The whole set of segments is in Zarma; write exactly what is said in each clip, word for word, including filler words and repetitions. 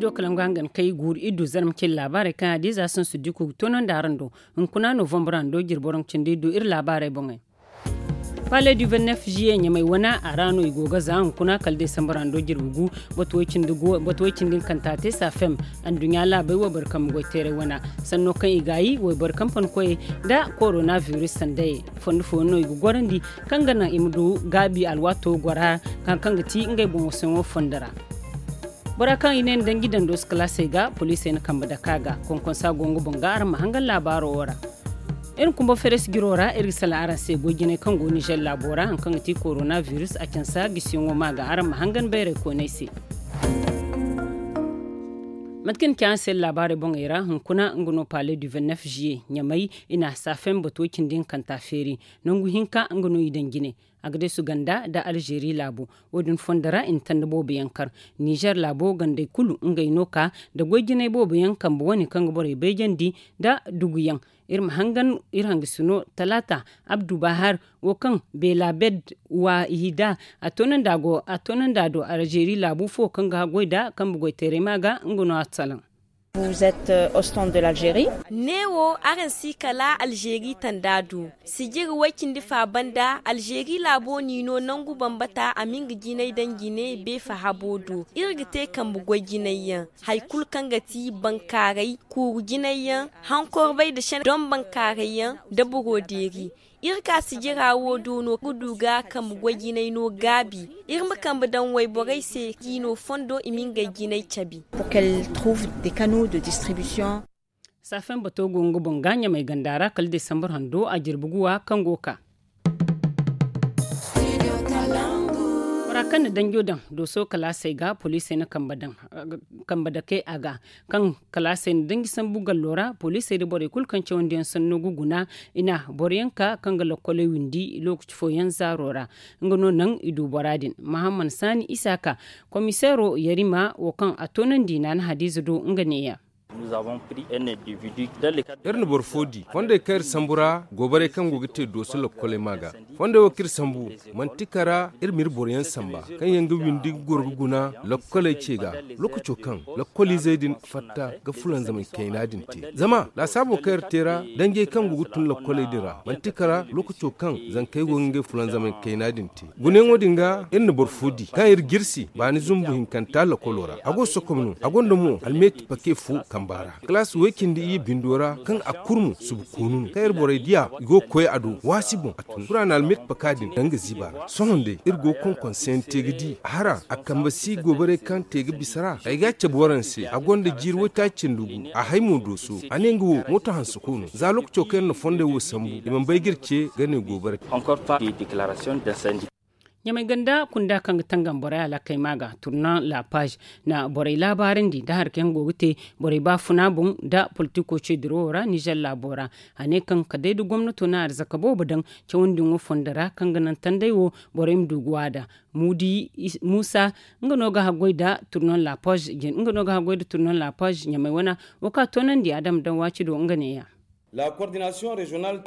Studio kalangu hangan kay guuru iri du zarma cindi laabaarey kaŋ a di za sansu diko ga toonandi araŋ do. Hunkuna novembre hando jirbi waranka cindi iri du iri laabaarey boŋey. Palais du vingt-neuf juillet ɲamay wana a ra no i go ga za hunkuna kala desambar hando jirbi gu. Batu way cindi gu batu way cindi hinkanta te safem. Anduɲɲa laabey wayboro kambe goyteeray wana sanno kaŋ i gaayi wayboro kampankoyey nda korona virus sandayey. Fondo fooyaŋ no i ga gorandi kaŋ ga naŋ i ma du gaabi alwaato gora kaŋ ga ti ngey boŋo sohõ fondo ra. Bora kaŋ i ne ni danji dando si kalaasey ga poliisey na kambe dake a ga. Konkonsa go nga boŋ ga araŋ ma hangan laabaaro wo ra. Iri kumba feres jiro ra iri ga salaŋ araŋ se goy jinay kaŋ go nizer laabo ra hari kaŋ ga ti korona virus a cansa gisiyaŋo ma ga araŋ ma hangan bayray koonay se. Mate kaŋ ni ci araŋ se laabaarey boŋey ra hunkuna nga no palais du vingt-neuf juillet ɲamay i na safem batu way cindi hinkanta feeri. Nangu hinka nga no i daŋ jine. Agdesu ganda nda alzeeri laabo. Wo- din fondo ra i na tanda boobo yaŋ kar. Nizer laabo gandey kulu ngey no ka nda goy jinay boobo yaŋ kambe wane kaŋ ga borey bayjandi nda dugu yaŋ. Iri ma hangan iri hangasino talaata abdu bahar wo kaŋ beela bed wa i da a toonandi a do alzeeri laabu fo kaŋ ga goy nda kambe goyteeray ma ga nga no a salaŋ. Neewo araŋ si kala alzeeri tanda do sijiri way-cindi fa banda alzeeri laabo n'i no nangu bambata a ma nga jinay daŋ jine beefa habo do. Iri ga te kambe goy jinay yaŋ hari kulu kaŋ ga ti bankaaray kuuru jinay yaŋ hankorbay nda sene doŋ bankaaray yaŋ nda boro deeri. Iri ka sijira wo do no ga du ga kambe goy jinay no gaabi. Iri ma kambe daŋ wayborey se k'i no fondo i ma ngey jinay cabe. Saafen bato go nga boŋ ga ɲamay ganda ra kala desambar hando a jirbi guwa kaŋ go ka. Bora kaŋ na danjo daŋ dooso kalaasey ga poliisey na kambe daŋ kambe dake a ga. Kaŋ kalaasey na danji sambu gallo ra poliisey nda borey kulu kaŋ cawandi yaŋ sanno ga guna i na boro yaŋ ka kaŋ ga lokkoley windi lookaci fooyaŋ zaaro ra. Nga no naŋ i du bora din mahamman saani isaaka komiseero yarima wo kaŋ a toonandi naana hadiiza do nga neeya. Iri na boro fo di fondey kaŋ iri sambu ra gobaray kaŋ go ga te dooso lokkoley ma ga. Fondey wo kaŋ iri sambu manti kara iri ma iri boro yaŋ samba kaŋ yaŋ ga windi ga goro ga guna lokkoley ce ga. Lookaco kaŋ lokkoliizey din fatta ga fulanzamay kayna din te zama laasaabo kaŋ iri te ra danjey kaŋ go ga tun lokkoley din ra manti kara lookaco kaŋ zankey go ga ngey fulanzamay kayna din te. Gunayaŋo din ga iri na boro fo di kaŋ iri jirsi baani zumbu hinkanta lokolo ra a go sokom no a gonda mo almeeti pake fo kamba ra kalaasi way-cindi iyye bindo ra kaŋ a kurmu subu koonu no kaŋ iri borey diya i go ga koy a do waasi boŋ a tun kura na almeeti paka din danga ziiba ra sohõ day iri go ga konkonseyaŋ te ga di a hara a kambe si gobaray kaŋ te ga bisa ra ay ga a cabe waraŋ se a gonda jiiri waytaaci cindi gu a hay mo dooso a ne nga wo mooto hanse koy no za lookaco kaŋ iri na fondey wo sambu i mana bay ga iri ce ga ne gobaray. Ɲamay ganda kunda kaŋ ga tangam borey alaakey ma ga turnan la page na borey laabaarandi nda hari kaŋ yaŋ go ga te borey baafuna boŋ nda politiko ce dirawo ra nizer laabo ra. A ne kaŋ kala day da gomnato na arzaka boobo daŋ cawandi ŋo fondo ra kaŋ ga naŋ tanday wo borey ma du ga waada. Musa nga no ga haggoy nda turnan la page jin nga no ga haggoy nda turnan la page ɲamay wana wo kaŋ a toonandi a dama daŋ waaci do nga neeya.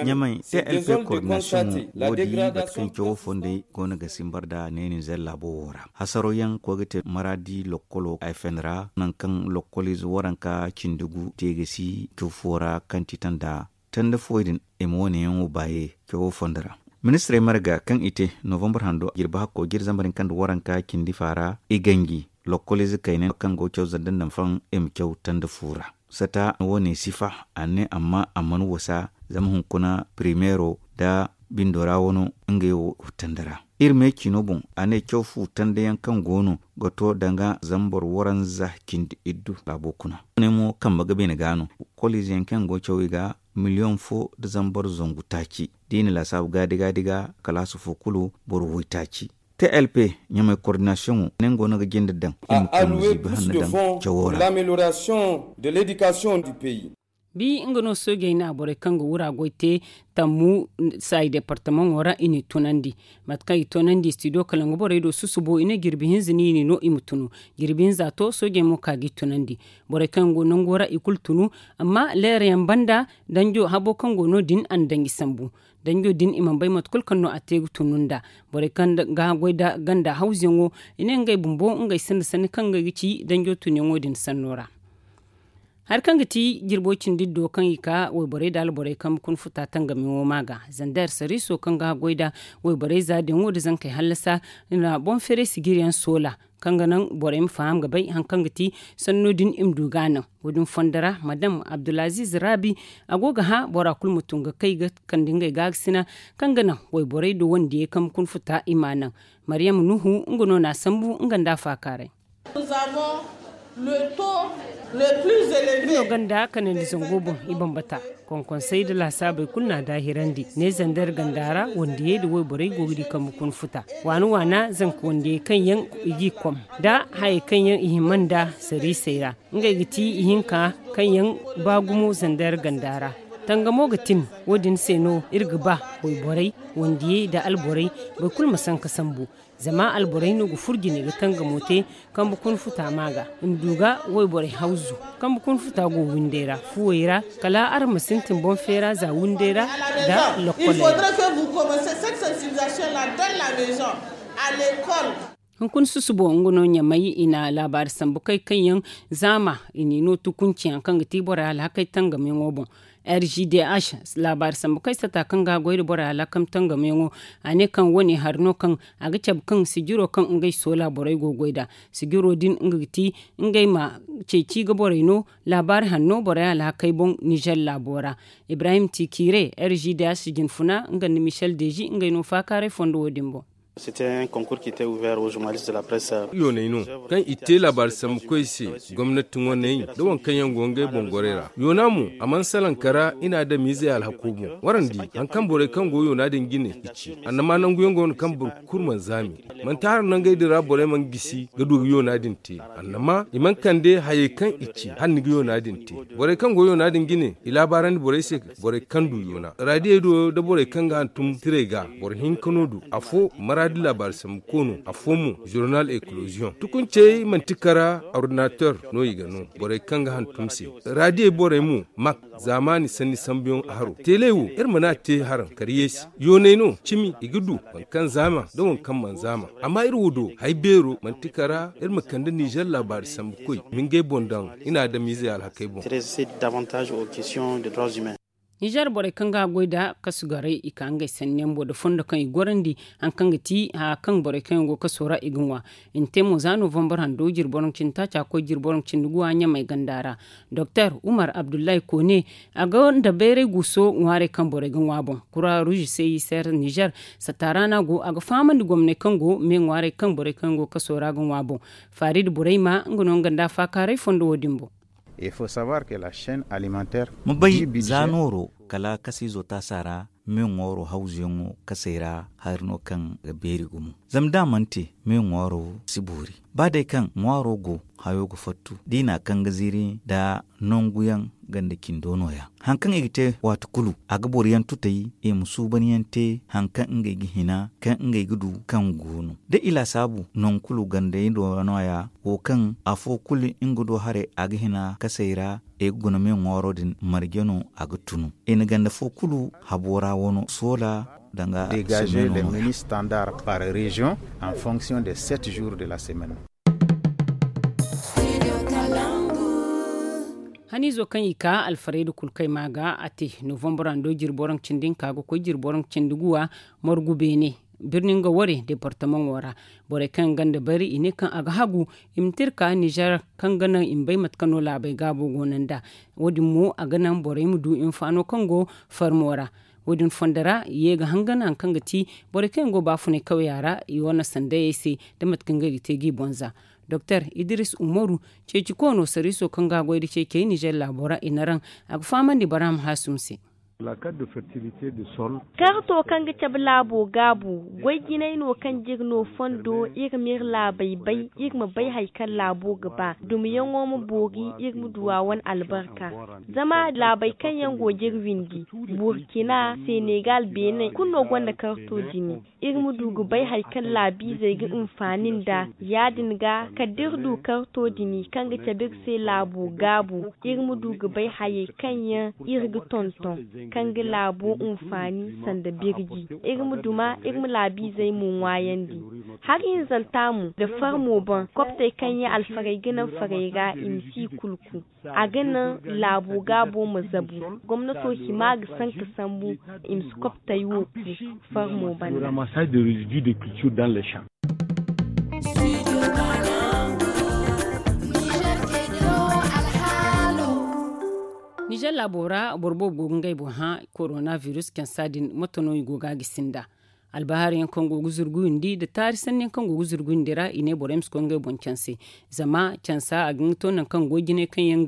Ɲamay te elfe koordinasiyoŋo wo di mate kaŋ cawo fondey go no ga simbar nda neeni zella bowo ra hasaro yaŋ koy ga te maraadi lokkolo ay fenera nangu kaŋ lokkoliize waranka cindi gu te ga si caw fo ra kaŋ ti tanda tanda fooyaŋ din i ma wo- ne yaŋ wo baaye cawo fondo ra. Ministirey marga kaŋ i te novembre hando jirbi hakko jiri zambar hinka nda waranka cindi faara i ganji lokkoliize kayna kaŋ go caw zanda nda nfaŋ i ma caw tanda fu ra. Sata wo- ne sifa a ne amma a mana wasa zama hunkuna primeero nda bindo ra wano ngey wo tanda ra. Iri me ciino boŋ a ne caw fu tanda yaŋ kaŋ go no ga to danga zambar waranza cindi iddu laabo kuna. Wo- ne mo kambe ga beene ga no koliize yaŋ kaŋ go caw i ga miliyoŋ fo nda zambar zangu taaci da i na laasaabu gaadi gaadi ga kalaasi fo kulu boro waytaaci. T L P ɲamay koordinasiyoŋo nango no ga jinde daŋ i ma kay ma ziibi hanno daŋ cawo ra. Bi nga no soojey na borey kaŋ ga wura goy te tammu saayi departamaŋo ra i n'i tunandi. Mate kaŋ i tunandi studio kala nga borey do susubo i ne jirbi hinza no i n'i no i ma tunu. Jirbi hinza to soojey mo ka g'i tunandi. Borey kaŋ go nango ra i kulu tunu. Amma leerayaŋ banda danjo habo kaŋ go no- din a na danji sambu. Danjo din i mana bay mate kulu kaŋ no a te ga tunu nd'a. Borey kaŋ ga haggoy nda ganda hawzuyaŋo, i ne ngey bumbo ngey sinda sanni kaŋ ngey ga ci danjo tunyaŋo din sanno ra. Hari kaŋ ga ti jirbo cindi iddo kaŋ i ka wayborey nda alborey kambe kuna futa tangamiyaŋo ma ga zander sariiso kaŋ ga haggoy nda wayborey za diyaŋo nda zankey hallasa, i na boŋ feeray sijiriyaŋ soola kaŋ ga naŋ borey ma faham ga bay hari kaŋ ga ti sanno din i ma du ga a naŋ. Wo- din fondo ra madam abdulaziiz raabi, a go ga hã bora kulu ma tun ga kay ga kande ngey gaakasina kaŋ ga naŋ wayborey nda wandiyey kambe kuna futa i m'a naŋ. Maryam nuhu nga no n'a sambu nga nda a faakaaray. Iri no ganda kanandi zango boŋ i bambata. Konkonsey nda laasaabey kulu n'a daahirandi ne zander ganda ra wandiyey nda wayborey go ga di kambe kuna futa waana waana zanka wandiyey kaŋ yaŋ i g'i kom nda hayey kaŋ yaŋ i hima nda sariisey ra. Ngey ga ti ihinka kaŋ yaŋ ba gumo zander ganda ra. Tangamo ga tin. Wo- din se no iri ga ba wayborey, wandiyey nda alborey, boro kulu ma sanka sambu. Zama alborey no ga furo jine ga tangamo te kambe kuna futa ma ga i ma du ga wayborey hawzu kambe kuna futa go windey ra fuwey ra. Kala araŋ ma sintin boŋ feera za windey ra nda lokkoley ra. Hunkuna susubo nga no ɲamay i na laabaari sambu kay kaŋ yaŋ zaama i n'i no tukunci hari kaŋ ga ti borey alhakey tangamiyaŋo boŋ. R G D H laabaari sambu kay sata kaŋ ga a goy nda borey alhakey tangamiyaŋo. A ne kaŋ wane hari no kaŋ a ga cabe kaŋ sijiro kaŋ ngey soola borey go ga goy nd'a. Sijiro din nga ga ti ngey ma ceeci ga borey no laabaari hanno borey alhakey boŋ nizer laabo ra. Ibrahim tikire R G D H jinfuna nga nda michel deji ngey no faakaaray fondo wo- din boŋ. Yooney no kaŋ i te laabaari sambukoy se gomnati ŋwaney nda waŋ kaŋ yaŋ go ngey boŋ gorey ra. Yoona mo a mana salaŋ kara i na adamiizey alhako boŋ. Waraŋ di hari kaŋ borey kaŋ go yoona din jine i ci annama nanguyaŋ go no kaŋ boro kulu mana zaami. Manti hara nangey din ra borey mana gisi ga du ga yoona din te. Annama i mana kande hayey kaŋ i ci hala ni ga yoona din te. Borey kaŋ go yoona din jine i laabaarandi borey se borey kaŋ du yoona raadiyey do nda borey kaŋ ga hantum tirey ga. Boro hinka no du afo maraadi laabaari sambu ko no afo mo journal ekoloziyoŋ tukuncey manti kara ordinateur no i ga no. Borey kaŋ ga hantum se raadiyey borey mo mak zaamaani sanni sambuyaŋ haro teeley wo iri mana te haraŋ kar yeesi yooney no cimi i ga du waŋ kaŋ zaama nda waŋ kaŋ mana zaama. Amma iri wo do hay beero manti kara iri ma kande nizer laabaari sambukoy ma ngey boŋ daŋ i na adamiizey alhakey boŋ. Nizer borey kaŋ ga goy nda kasu garay i ka ngey sanni yaŋ boŋ nda fondo kaŋ i gorandi hari kaŋ ga ti haya kaŋ borey kaŋ yaŋ go kaso ra i ga ŋwa. I na te mo za novembar hando jirbi boro nda cindi taaca koy jirbi boro nda cindi guwa ɲamay ganda ra. Doktor umar abdullahi koone a ga nda bayray guuso ŋwaarey kaŋ borey ga ŋwa boŋ. Kura ruuzi se i seera nizer sataara no a go a ga fahamandi gomney kaŋ go me ŋwaarey kaŋ borey kaŋ yaŋ go kaso ra ga ŋwa boŋ. Faari nda borey ma nga no nga nda a faakaaray fondo wo- din boŋ. Ma bay za nooro kala kasiizo taasa ra me ŋwaaro hawzuyaŋo kasey ra hari no kaŋ ga beeri gumo. Zama da a mana te me ŋwaaro si boori ba day kaŋ ŋwaaro go hayo ga fattu da i na a kaŋ ga ziiri nda nangu yaŋ ganda cindo no- ya. Hari kaŋ i ga te waati kulu a ga boro yaŋ tutay i ma suuban yaŋ te hari kaŋ ngey ga hina kaŋ ngey ga du kaŋ go no da i laasaabu nangu kulu gandey do no- ya. Wo kaŋ afo kulu nga do haray a ga hina kasey ra i ga guna me ŋwaaro din marje no a ga tunu. I na ganda fo kulu habo ra wano soola danga. Dégager les menus standards par région en fonction des sept jours de la semaine. Haniizo kaŋ i ka alfarayda kulu kay ma ga a te novembre hando jirbi boro nda cindi hinka ga koy jirbi boro nda cindi guwa. Margu beene birni nga ware departamaŋo ra. Borey kaŋ yaŋ ganda bari i ne kaŋ a ga hagu i ma te iri ka nizer kaŋ ga naŋ i ma bay mate kaŋ no laabey gaabo go no nd'a. Wo- din mo a ga naŋ borey ma du hinfaano kaŋ go farmo ra. Wo- din fondo ra i ye ga hangan hari kaŋ ga ti borey kaŋ yaŋ go baafunay kawya ra i wane sandayey se nda mate kaŋ ngey ga te g'i boŋ za. Doktor idris umaru ceeci koono sariiso kaŋ ga a goy nda ceecey nizer laabo ra i na raŋ a ga fahamandi baraama haasum se. Karto kaŋ ga cabe laabo gaabu goy jinay no kaŋ jiri no fondo iri ma iri laabey bay iri ma bay hari kaŋ laabo ga ba dumiyaŋo ma boori iri ma du a wane albarka. Zama laabey kaŋ yaŋ go jiri windi burkina senegal benin kulu no gonda karto jine. Iri ma du ga bay hari kaŋ laabiizey ga hinfaani nd'a ya- din ga kala da iri du karto din kaŋ ga cabe iri se laabo gaabu iri ma du ga bay hayey kaŋ yaŋ iri ga tonton. Kaŋ ga laabo hinfaani sanda birji. Iri ma duma, iri ma laabiizey mo ŋwaayandi. Hari hinzanta mo nda farmo boŋ koptey kaŋ yaŋ alfarey ga naŋ farey ra i ma si i kulu ku. A ga naŋ laabo gaabo ma zabu. Gomnato hima ga sanka sambu i ma si koptey wo ku farmo banda. Nizer laabo ra boro boobo go ga ngey boŋ hã. Korona virus cansa din moto no i go ga a gisi nd'a. Albahaari yaŋ kaŋ go ga zurguyandi nda taari sanni yaŋ kaŋ go ga zurguyandi ra i ne borey ma si koy ngey boŋ canse. Zama cansa a ga hin ga to nangu kaŋ goy jinay kaŋ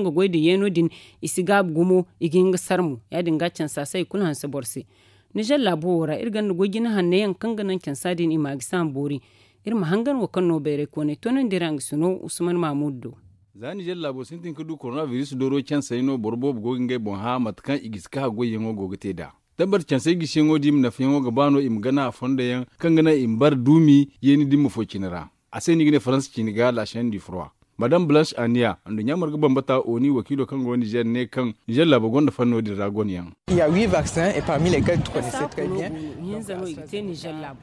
ga goy nda yeeno din i si gaabu gumo. I ga hin ga sar mo ya- din ga cansa se hari kulu hanse boro se. Nizer laabo wo ra iri gonda goy jine hanno yaŋ kaŋ ga naŋ cansa din i ma a gisi a ma boori. Iri ma hangan wo kaŋ no bayray kooney toonandi ra nga si no usman maamudu do. Za nizer laabo sintin ga du korona biris dooro cansey no boro boobo go ga ngey boŋ hã mate kaŋ i gisi ka haggoyyaŋo go ga te nd'a. Tabbat cansey gisiyaŋo da i ma nafayaŋo ga ba no i ma gana a fondo yaŋ kaŋ ga naŋ i ma bare duumi yeeni dimma fo cine ra. A se no i ga ne faransa ciini ga la chaine du froid. Madame blanche aniya nduɲɲa marga bambata oni wakiilo kaŋ go nizer ne kaŋ nizer laabo gonda fanno din ra gonayaŋ.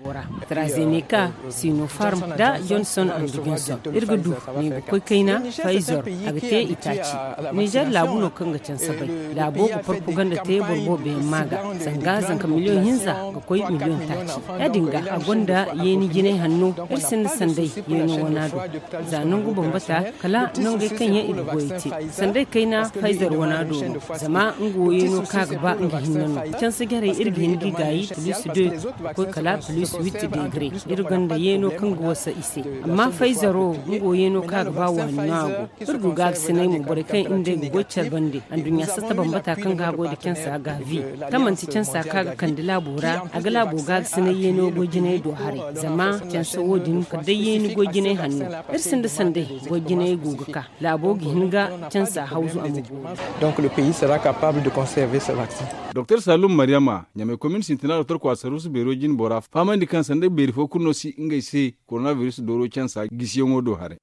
Bora trazeneka, sinofarm nda johnson and johnson. Iri ga du ne ga koy kayna, pfizer a ga te itaaci. Nizer laabu no kaŋ ga canse bay. Laabo ga propaganda te boro boobo yaŋ ma ga zanga zanka miliyoŋ hinza ga koy miliyoŋ taaci. Ya- din ga a gonda yeeni jinay hanno. Iri sinda sanday yeeno wana do. Za nangu bambata kala nangey kaŋ yaŋ i ga goyey te. Sanday kayna pfizer wana do no. Zama nga wo yeeno ka ga ba nga hinne no. Canse jarey iri ga hin ga i gaayi plus de ga koy kala plus huit degre. Iri gonda yeeno kaŋ ga wasa i se. Amma pfizer wo nga wo yeeno ka ga ba waani no a go. Iri go ga a ga sinay mo borey kaŋ iri nd'ey ga goy care bande. Anduɲɲa satta bambata kaŋ ga a goy nda cansa ga vi. Kaŋ manti cansa ka ga kande laabo ra a ga laabo ga a ga sinay yeeno goy jinay do haray. Zama cansa wo- din kala day yeeni goy jinay hanno. Iri sinda sanday goy jinay go ga ka. Laabo ga hin ga cansa hawzu a ma boori. Donc le pays sera capable de conserver ce vaccin. Doktor salum maryama ɲamay komin sintina doktor kwasarusu beero jine bora fahamandi kaŋ sanday beeri fo kulu no si ngey se. Korona biris dooro cansa gisiyaŋo do haray.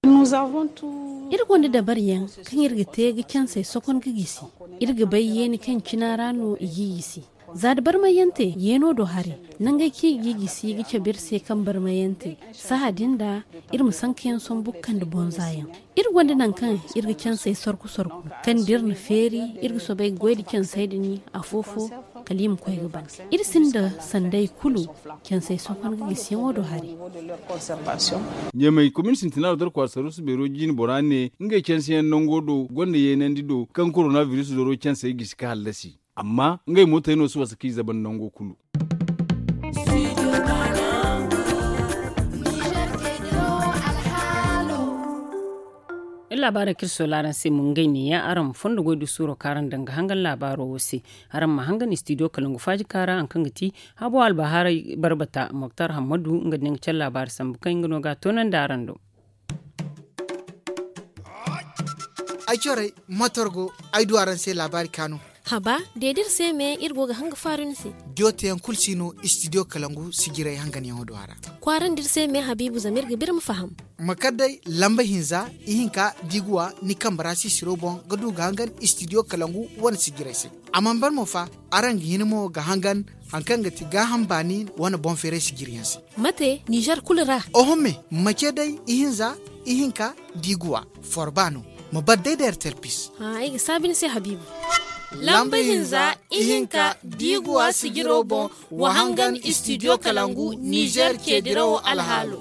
Iri gonda dabaryaŋ kaŋ iri ga te ga cansey sokon ga gisi. Iri ga bay yeeni kaŋ cina ra no i g'i gisi. Za da barmayante yeeno do haray. Nangey kaŋ i g'i gisi ga cabe iri se kaŋ barmayante. Sahã din da iri ma sankayaŋ sombu ga kande bonza yaŋ. Iri gonda nangu kaŋ iri ga cansey sorku sorku kaŋ da iri na feeri iri ga soobay ga goy nda cansey din afo fo. Kala i ma koy ga ban. Iri sinda sanday kulu. Cansey sohõ kaŋ ga gisiyaŋo do haray. Ɲamay komin sintina doktor kwasarusu beero jine bora ne ngey canseyaŋ nango do gonda yeenandi do kaŋ korona biris dooro cansey gisi ka hallasi. Amma ngey mootey no si wasa k'i zaban nango kulu. Iri laabaarey kaŋ iri soola araŋ se mo ngey neeya araŋ ma fondo goy du suuro kaŋ araŋ daŋ ga hangan laabaaro wo se. Araŋ ma hangan istidiyo kalangu faaji kaara hari kaŋ ga ti habo albahaarey barbata moktar hammadu nga din ga care laabaari sambu kaŋ nga no ga a toonandi araŋ do. Ay corey motor go ay du araŋ se laabaari kaanu. Haba, deedi iri se me iri go ga hanga faaru ni se. Diyo teyaŋ kulu si no istidiyo kalangu sijiray hanganyaŋo do a ra. Kwaarandi iri se me habiibu zama iri ga ba iri ma faham. Ma kar day lamba hinza ihinka da i ga wa ni kambe ra sisiro boŋ ga du ga hangan istidiyo kalangu wane sijiray se. A mana ban mo fa, araŋ ga hin mo ga hangan hari kaŋ ga ti gaaham baani wane boŋ feeray sijiryaŋ se. Mate nizer kulu ra? Oho me, mace day ihinza ihinka da i ga wa forba no. Ma bar day da ertel pis. Ay ga saabi ni se habiibu. Lamba hinza ihinka da i ga wa sijiro boŋ, wa hangan istidiyo kalangu nizer ceedirawo alhaalo.